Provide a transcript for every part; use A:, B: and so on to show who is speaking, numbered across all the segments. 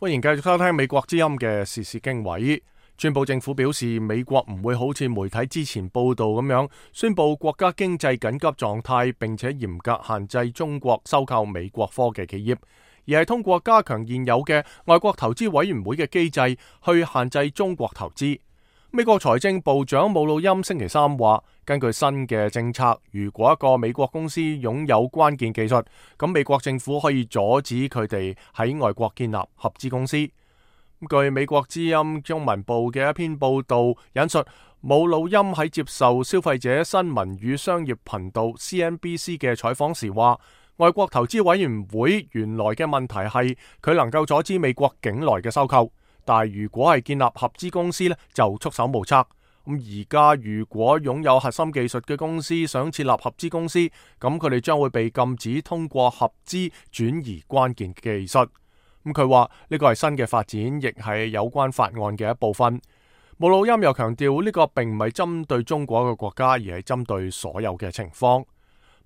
A: 歡迎繼續收聽美國之音嘅時事經緯。川普政府表示，美國唔會好似媒體之前報道咁樣宣布國家經濟緊急狀態，並且嚴格限制中國收購美國科技企業，而係通過加強現有嘅外國投資委員會嘅機制去限制中國投資。美國財政部長姆努欽星期三話，根據新嘅政策，如果一個美國公司擁有關鍵技術，咁美國政府可以阻止佢哋喺外國建立合資公司。據美國之音中文部嘅一篇報道引述，姆努欽喺接受消費者新聞與商業頻道 CNBC 嘅採訪時話，外國投資委員會原來嘅問題係佢能夠阻止美國境內嘅收購。但係如果係建立合資公司呢，就束手無策。咁而家如果擁有核心技術嘅公司想設立合資公司，咁佢哋將會被禁止通過合資轉移關鍵技術。咁佢話呢個係新嘅發展，亦係有關法案嘅一部分。姆努欽又強調呢個並唔係針對中國一個國家，而係針對所有嘅情況。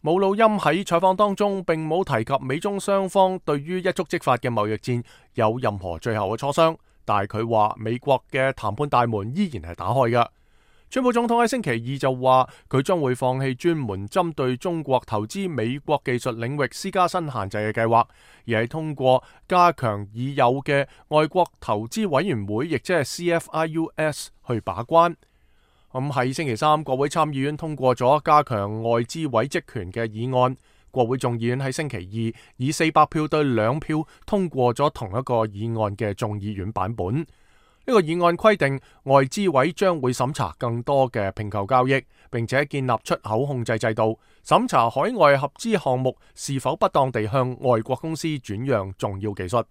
A: 姆努欽喺採訪當中並冇提及美中雙方對於一觸即發嘅貿易戰有任何最後嘅磋商。但係佢話美國嘅談判大門依然係打開嘅。川普總統喺星期二就話佢將會放棄專門針對中國投資美國技術領域施加新限制嘅計劃，而係通過加強已有嘅外國投資委員會，亦即係 CFIUS 去把關。喺星期三，國會參議院通過咗加強外資委職權嘅議案。國會眾議院喺星期二以400票對2票通過咗同一個議案嘅眾議院版本。呢個議案規定，外資委將會審查更多嘅併購交易，並且建立出口控制制度，審查海外合資項目是否不當地向外國公司轉讓重要技術。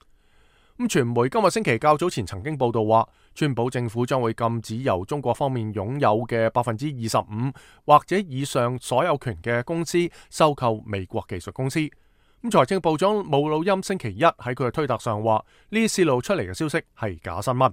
A: 傳媒今日星期較早前曾經報道話，川普政府將會禁止由中國方面擁有嘅25%或者以上所有權嘅公司收購美國技術公司。財政部長姆努欽星期一喺佢嘅推特上話，呢啲洩露出嚟嘅消息係假新聞。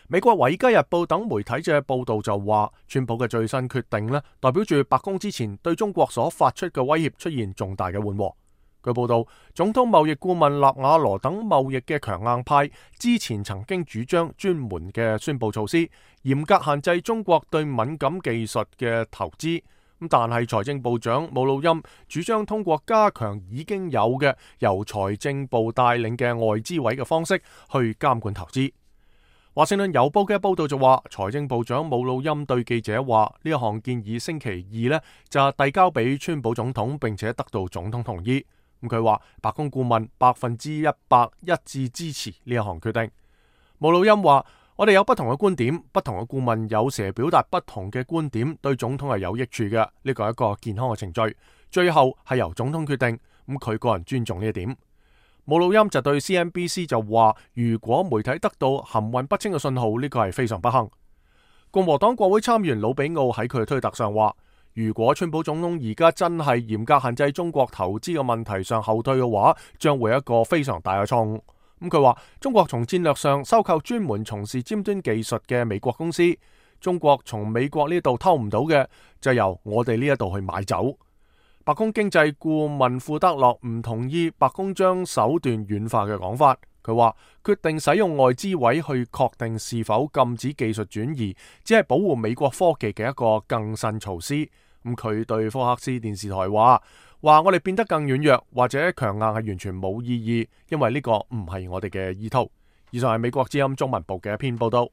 A: 美國《維基日報》等媒體嘅報道就話，川普嘅最新決定呢，代表住白宮之前對中國所發出嘅威脅出現重大嘅緩和。據報道，總統貿易顧問納瓦羅等貿易嘅強硬派之前曾經主張專門嘅宣佈措施，嚴格限制中國對敏感技術嘅投資。但係財政部長姆努欽主張通過加強已經有嘅由財政部帶領嘅外資委嘅方式去監管投資。華盛頓郵報嘅報道就話，財政部長姆努欽對記者話，呢一項建議星期二呢就遞交俾川普總統，並且得到總統同意。佢話白宮顧問100%一致支持呢一項決定。姆努欽話，我哋有不同嘅觀點，不同嘅顧問有時表達不同嘅觀點，對總統係有益處嘅。呢個係一個健康嘅程序，最後係由總統決定。佢個人尊重呢一點。姆努欽就對 CNBC 就話，如果媒體得到含混不清嘅信號，呢個係非常不幸。共和黨國會參議員魯比奧喺佢嘅推特上話，如果川普總統而家真係嚴格限制中國投資嘅問題上後退嘅話，將會一個非常大嘅錯誤。佢話中國從戰略上收購專門從事尖端技術嘅美國公司，中國從美國呢度偷唔到嘅，就由我哋呢一度去買走。白宮經濟顧問庫德洛唔同意白宮將手段軟化嘅講法。佢話決定使用外資委去確定是否禁止技術轉移，只係保護美國科技嘅一個更新措施。佢對福克斯電視台話我哋變得更軟弱或者強硬係完全冇意義，因為呢個唔係我哋嘅意圖。以上係美國之音中文部嘅一篇報道。